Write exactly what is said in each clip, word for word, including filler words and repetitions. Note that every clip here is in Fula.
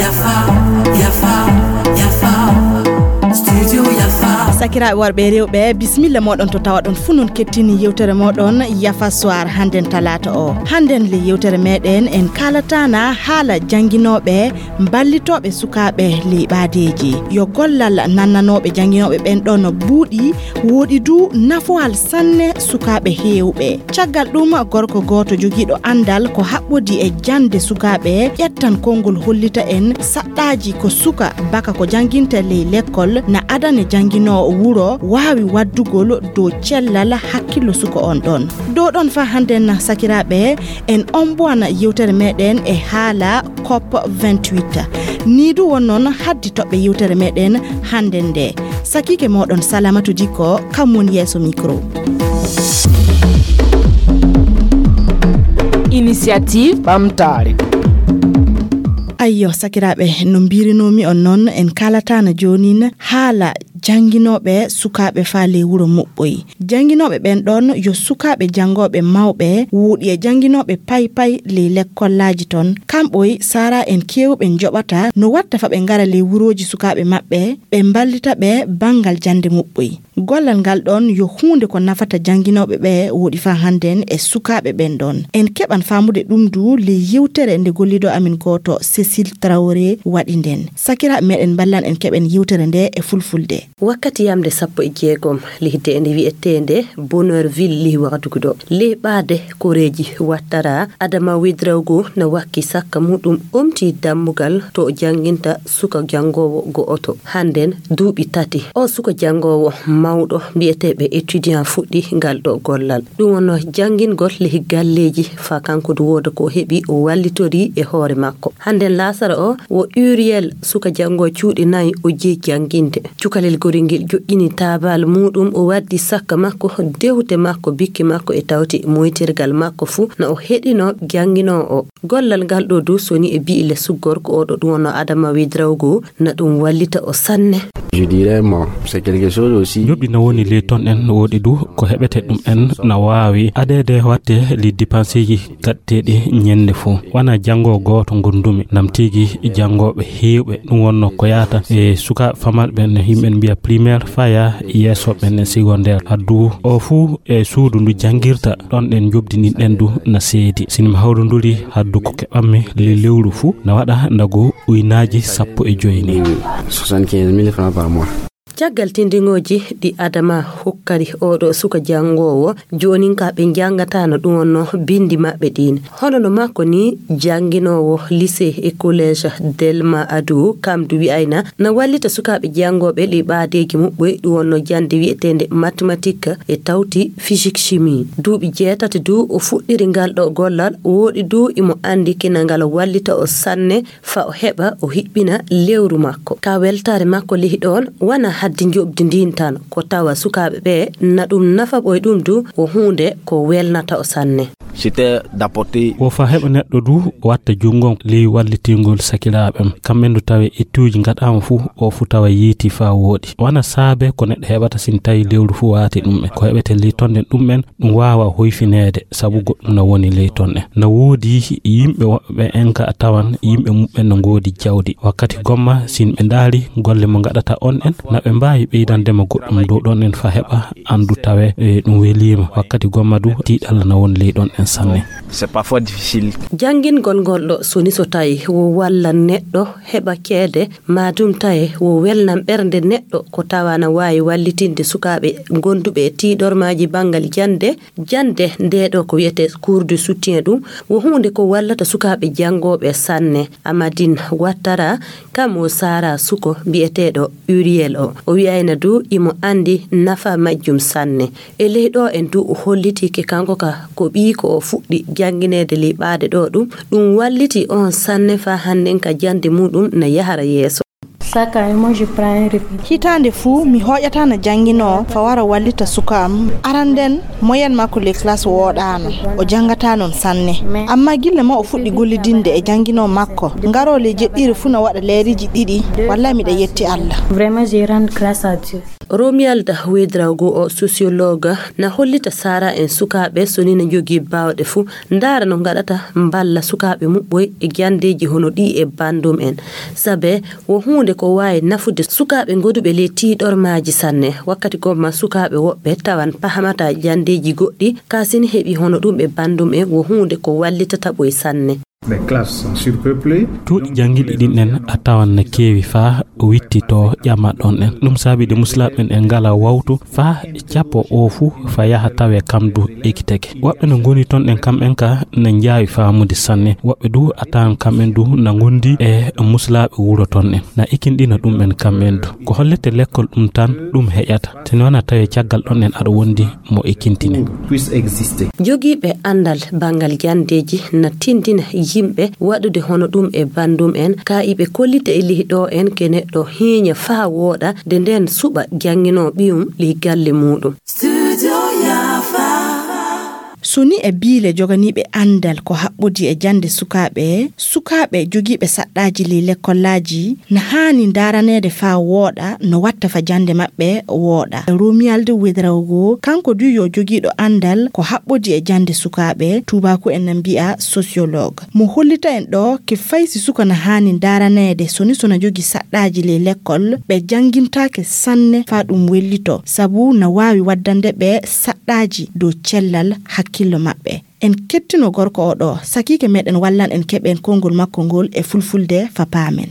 Yafa, yafa, yafa. Studio Yafa. Sakiraaɓe worɓe e rewɓe, bisimilla mooɗon to tawaɗon fuu non kettini yewtere mooɗon Yafa Soir hannden talaata o. Hannden le yewtere meɗen en kaalataana haala jannginooɓe mballitooɓe sukaaɓe ley ɓaadeeji. Yo gollal nannanooɓe jannginooɓe ɓen ɗon buuɗi, woodi du nafoowal sanne sukaaɓe heewɓe. Caggal ɗum, gorko gooto jogiiɗo anndal ko haɓɓodi e jannde sukaaɓe ƴettan konngol hollita en saɗɗaaji ko suka baka ko jannginta ley lekkol na adane jannginoowo wuro waawi waddugol dow cellal hakkillo suka on ɗon. Dow ɗon faa hannden sakiraaɓe, en ombowana yewtere meɗen e haala COP vingt-huit. Nii du won non haddi toɓɓe yewtere meɗen hannden nde. Sakiike mooɗon Salamatu Dikko, kam woni yeeso micro. Initiative ɓamtaare. Ayyo, sakiraaɓe, no mbiirinoomi on non, en kaalataana joonin haala jannginooɓe sukaaɓe faa ley wuro Muɓɓoy. Jannginooɓe ɓen ɗon yo sukaaɓe janngooɓe mawɓe, woodi e jannginooɓe pay pay ley lekkollaaji ton. Kamɓoy saraa en keewɓe njoɓata no watta faa ɓe ngara ley wurooji sukaaɓe maɓɓe, ɓe mballita ɓe banngal jannde Muɓɓoy. Gollal ngal ɗon yo huunde ko nafata jannginooɓe ɓe woodi faa hannden e sukaaɓe ɓen ɗon. En keɓan faamude ɗum du ley yewtere nde golliiɗo amin gooto Cécile Traoré waɗi nden. Sakiraaɓe meɗen, mballan en keɓen yewtere nde e fulfulde. Wakkati yamde sappo e jeegom lihde nde wi'eteende Bonheur Ville lih Wagadugu ɗo. Lih ɓaade koreeji Wattara, Adama Ouédraogo na wakki sakka muɗum omti dammugal to o jannginta suka janngoowo go'oto. Hannden duuɓi tati. O suka janngoowo mawɗo mbi'eteeɓe étudiant fuɗɗi ngal ɗo gollal. Ɗum wonno janngingol lih galleeji faa kanko du wooda ko o heɓi o wallitori e hoore makko. Hannden laasara o wo Uriel suka janngoowo cuuɗi nayi o jeyi jannginde. Cukalel gorel ngel joƴƴini taabal muuɗum, o waddi sakka makko, dewte makko, bikki makko e tawti moytirgal makko fuu, na o heɗino jannginoowo o. Gollal ngal ɗo du soni e bi'i le suggorko o ɗo ɗum wonno Adama Ouédraogo, na ɗum wallita o sanne. Je dirais, moi, c'est quelque chose aussi. Njoɓdi na woni ley ton en woodi du ko heɓete ɗum en na waawi adeede watte ley dépenseeji gaɗteeɗi ñannde fuu. Wona janngo gooto ngondumi, nam tigi janngooɓe heewɓe, ɗum wonno ko yahata e suka famarɓe ɓen, yimɓe mbi'a primaire, faya yeeso ɓen e secondaire. Haddu o fuu e suudu ndu janngirta, ɗon ɗen njoɓdi ndin ɗen du na seedi. Si mi hawrinduri haddu ko keɓanmi ley lewru fuu, na waɗa ndagu uynaaji sappo e joy ni. Soixante-quinze mille francs par mois. Caggal tindingooji ɗi Adama hokkari oɗo suka janngoowo, joonin ka ɓe njanngataano ɗum wonno binndi maɓɓe ɗiin. Hono no makko ni, jannginoowo lycée e collège Delma Ado, kam du wi'ayna na wallita sukaaɓe janngooɓe ley ɓaadeeji muɓɓoy, ɗum wonno jannde wi'eteende mathématique e tawti physique chimie. Duuɓi jeetati du o fuɗɗiri ngal ɗo gollal, woɗi du imo anndi kina ngal wallita o sanne, faa o heɓa o hiɓɓina lewru makko. Ka weltaare makko lihi ɗoon, wona haddi njoɓdi ndiin tan, ko tawa sukaaɓe ɓe na ɗum nafa ɓoy ɗum du, ko huunde ko welnata o sanne. C'était d'apporter. Wo faa heɓa neɗɗo du watta junngo ley wallitingol sakiraaɓe am. Kamɓe du tawe ettuuji ngaɗaama fuu, o fuu tawa yeeti faa wooɗi. Wona saabe ko neɗɗo heɓata sin tawi lewru fuu waati ɗum en. Ko heɓete ley ton ɗen ɗum en, ɗum waawa hoyfineede, sabu goɗɗum na woni ley ton en. Na woodi yimɓe woɓɓe en ka a tawan yimɓe muɓɓen no ngoodi jawdi. Wakkati gomma, sin ɓe ndaari golle mo ngaɗata on en, na ɓe mbaawi ɓeydande mo goɗɗum dow ɗon en faa heɓa anndu tawe, e, ɗum weliima. Wakkati gomma du, tiiɗalla na woni ley ɗon en sanne. C'est parfois difficile. Janngingol ngol ɗo, so ni so tawi wo walla neɗɗo heɓa ceede, maa ɗum tawi wo welnan ɓernde neɗɗo, ko tawa na waawi wallitinde sukaaɓe gonduɓe e tiiɗormaaji banngal jannde, Jannde ndee ɗoo ko wiyetee cours de soutien, ɗum wo huunde ko wallata sukaaɓe janngooɓe sanne. Amadine Ouattara, kam o saaraa suko mbiyeteeɗo Uriel o. O wi'ayna du imo anndi nafa majjum sanne. E ley ɗoo en du o hollitii ke kanko ka ko ɓiy ko o fuɗɗi janngineede ley ɓaade ɗoo ɗum. Ɗum wallitii on sanne faa hannden ka jannde muuɗum na yahara yeeso. Chaque année, moi, je prends un répit. Hitaande fuu, mi hooƴataa na jannginoo fa wara wallita suka am. Aran nden, moyenne makko ley classe wooɗaano. O janngataa non sanne. Ammaa gilla ma o fuɗɗi gollidinde e jannginoo makko, ngaroo ley jeɗɗiire fuu na waɗa leeriiji ɗiɗi. Wallaahi miɗa yetti Alla. Vraiment, je rends grâce à Dieu. Romuald Ouédraogo o sociologue na hollita sara en sukaaɓe so ni na jogii baawɗe fuu, ndaara no ngaɗata mballa sukaaɓe muɓɓoy e janndeeji hono ɗi e banndum en. Sabe wo huunde ko waawi nafude sukaaɓe ngoduɓe ley tiiɗormaaji sanne. Wakkati gomma sukaaɓe woɓɓe tawan pahamata janndeeji goɗɗi, kaa si ni heɓi hono ɗum e banndum en wo huunde ko wallitata ɓoy sanne. Les classes sont surpeuplées. Duɗi janngiɗi ɗin en a tawan na keewi faa o witti to ƴama ɗon en. Ɗum saabi de muslaaɓe en ngala wawtu faa cappo o fuu fa yaha tawe kam du ekiteke. Woɓɓe no ngoni ton en kam en ka na njaawi faamude sanne. Woɓɓe du a tawan kam en du na ngondi e muslaaɓe wuro ton en. Na ikinɗina ɗum en kam en du. Ko hollete lekkol ɗum tan ɗum heƴata. Teno wana tawe caggal ɗon en aɗa wondi mo e kintine. Puisse exister. Jogiiɓe anndal banngal janndeeji na tindina yimɓe waɗude hono ɗum e banndum en, ka iɓe kollita e lihi ɗo en ke neɗɗo hiiña faa wooɗa, de nden suɓa jannginoo ɓiyum ley galle muuɗum. Studio Yafa. So ni e biile joganiiɓe anndal ko haɓɓodi e jannde sukaaɓe, sukaaɓe jogiiɓe saɗɗaaji ley lekkollaaji na haani ndaaraneede faa wooɗa no watta fa jannde maɓɓe wooɗa. Romuald Ouédraogo, kanko du yo jogiiɗo anndal ko haɓɓodi e jannde sukaaɓe, tuubaaku en na mbi'a sociologue. Mo hollita en ɗo ke fay si suka na haani ndaaraneede so ni so na jogii saɗɗaaji ley lekkol, ɓe janngintaake sanne faa ɗum wellito, sabu na waawi waddande ɓe saɗɗaaji dow cellal hakkillo maɓɓe. En kettino gorko o ɗo, sakiike meɗen wallan en keɓen konngol makko ngol e fulfulde fa paamen.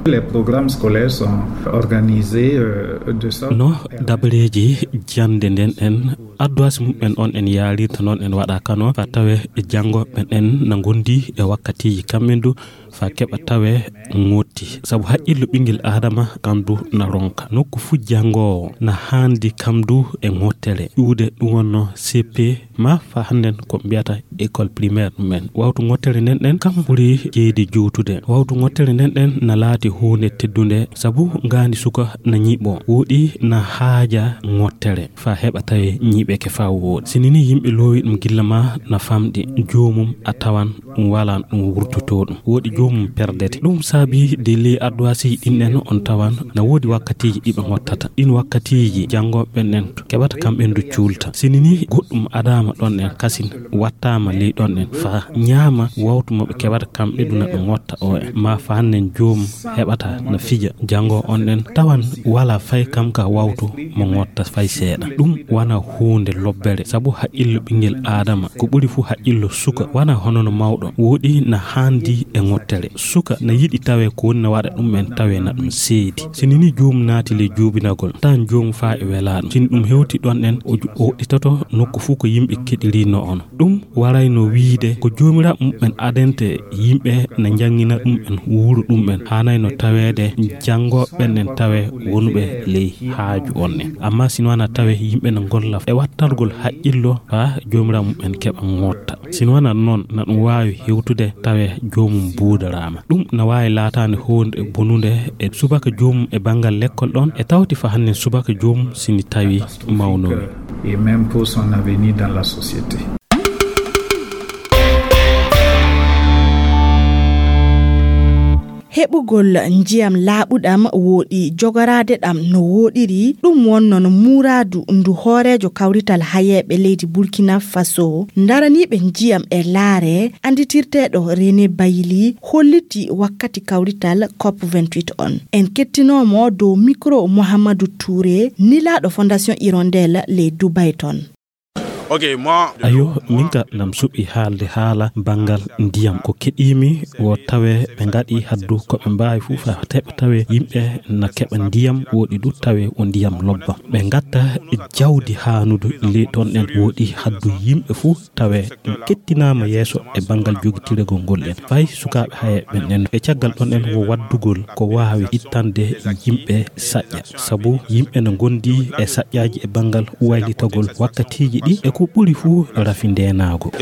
Les programmes scolaires sont organisés, euh, de sorte... No dabareeji jannde nden en adduwaasi muɓɓen on en yaarirta noon en waɗa kano, fa tawe janngoɓe ɓen en na ngondi e wakkatiiji kamɓe du, fa keɓa tawe ŋotti. Sabu haqqillo ɓinngel Aadama kan du na ronka. Nokku fu janngoowo na haandi kam du e ŋottere. Ƴuude ɗum wonno C P ma fa hannden ko mbiyata école primaire men. Wawtu ŋottere nden ɗen kam ɓuri jeyde juutude. Wawtu ŋottere nden ɗen na laati huunde teddunde sabu ngaandi suka na ñiɓo. Wooɗi na haaja ŋottere fa heɓa tawe ñiɓeke fa wooɗi. Si nini yimɓe loowi ɗum gilla ma na famɗi joomum a tawan ɗum wala ɗum wurtotoo ɗum. Wooɗi joomum perdete. Ɗum saabi de ley adduwaasi ɗin en on tawan na woodi wakkatiiji ɗi ɓe ŋottata. Ɗin wakkatiiji janngooɓe ɓen en keɓata kamɓe du cuulta. Si nini goɗɗum adaama ɗon en kasin wattaama ley ɗon en fa ñaama wawtu mo ɓe keɓata kamɓe du na ɓe ŋotta o en. Ma fa hannen joomum heɓata na fija janngoo on en tawan wala fay kam ka wawtu mo ŋotta fay seeɗa. Ɗum wana huunde lobbere sabu haqqillo ɓinngel Aadama ko ɓuri fu haqqillo suka wana hono no mawɗo. Wooɗi na haandi e ŋottere. Suka na yiɗi tawe ko woni na waɗa ɗum en tawe na ɗum seedi. Si nini joomum naati ley juubinagol, tan joomum faa e welaa ɗum. Si ni ɗum hewti ɗon en, o ju-, o woɗɗitoto nokku fu ko yimɓe keɗirinoo on. Ɗum warayno wiide ko joomiraaɓe muɓɓen adente yimɓe na njanngina ɗum en wuro ɗum en. Haanayno taweede janngooɓe ɓen en tawe wonuɓe ley haaju on en. Amma si ni wana tawe yimɓe na ngolla e wattargol haqqillo faa joomiraaɓe muɓɓen keɓa ŋotta. Si ni wana noon, na ɗum waawi hewtude tawe joomum buudaraama. Ɗum na waawi laataade huunde bonunde e subaka joomum e banngal lekkol ɗon, e tawti fa hannen subaka joomum si ni tawi mawnowi. Et même pour son avenir dans la société. Heɓugol njiyam laaɓuɗam wooɗi jogoraade ɗam no wooɗiri, ɗum wonno no muuraadu ndu hooreejo kawrital hayeeɓe leydi Burkina Faso, ndaraniiɓe njiyam e laare, annditirteeɗo René Bayili, holliti wakkati kawrital COP vingt-huit on. En kettinoomo dow mikro Mouhamadou Touré, nilaaɗo Fondation Hirondelle ley Dubai ton. Ayo, min ka nam suɓi haalde haala banngal ndiyam. Ko keɗiimi wo tawe ɓe ngaɗi haddu ko ɓe mbaawi fuu fa teɓa tawe yimɓe na keɓa ndiyam, woɗi du tawe o ndiyam lobba. Ɓe ngatta jawdi haanudu ley ɗon ɗen, woɗi haddu yimɓe fuu tawe ɗum kettinaama yeeso e banngal jogitiragol ngol en. Fay sukaaɓe haye ɓen en e caggal ɗon en wo waddugol ko waawi ittande yimɓe saƴƴa. Sabu yimɓe no ngondi e saƴƴaaji e banngal waylitagol wakkatiiji ɗi e ko ɓuri fuu rafi ndeenaagu.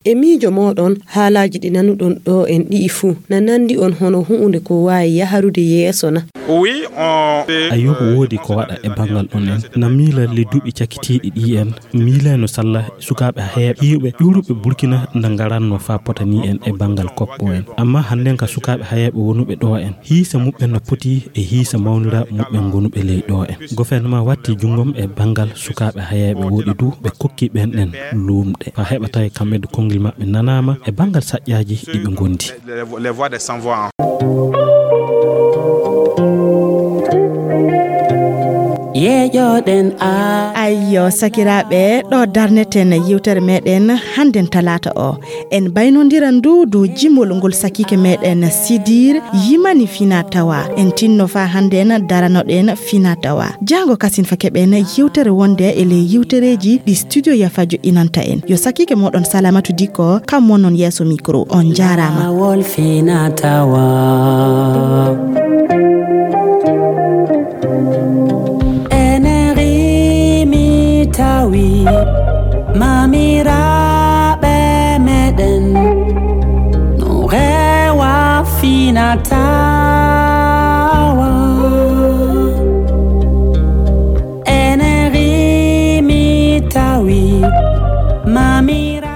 E miijo mooɗon, haalaaji ɗi nanuɗon ɗo en ɗi'i fuu, na nanndi on hono hu'unde ko waawi yaharude yeeso na? Ayuba woodi ko waɗa e banngal on en. Na miila le duuɓi cakkitiiɗi ɗi en miilayno salla sukaaɓe heewɓe ƴuuruɓe Burkina na ngaranno faa pota ni en e banngal koppo en. Amma hannden ka sukaaɓe heewɓe wonuɓe ɗo en, hiisa muɓɓen no poti e hiisa mawniraaɓe muɓɓen gonuɓe ley ɗo en. Gouvernement watti junngom e banngal sukaaɓe heewɓe woɗi du ɓe kokki ɓen ɗen luumɗe. Faa heɓa tawi kamɓe du konngil maɓɓe nanaama e banngal saƴƴaaji ɗi ɓe ngondi. Yeeƴoɗen a. Ayyo, sakiraaɓe, ɗo darneten yewtere meɗen hannden talaata o. En baynondiran du dow jimol ngol sakiike meɗen Sidir yimani fina tawa. En tinno faa hannden daranoɗen fina tawa. Jaango kasin fa keɓen yewtere wonde e ley yewtereeji ɗi studio Yafa joɗɗinanta en. Yo sakiike moɗon Salamatu Dikko, kam wonnon yeeso micro. On jaaraama. Laawol fina tawa. Ene rimi tawi mamiraaɓe meɗen no rewa fina tawa. Ene rimi tawi mamiraaɓe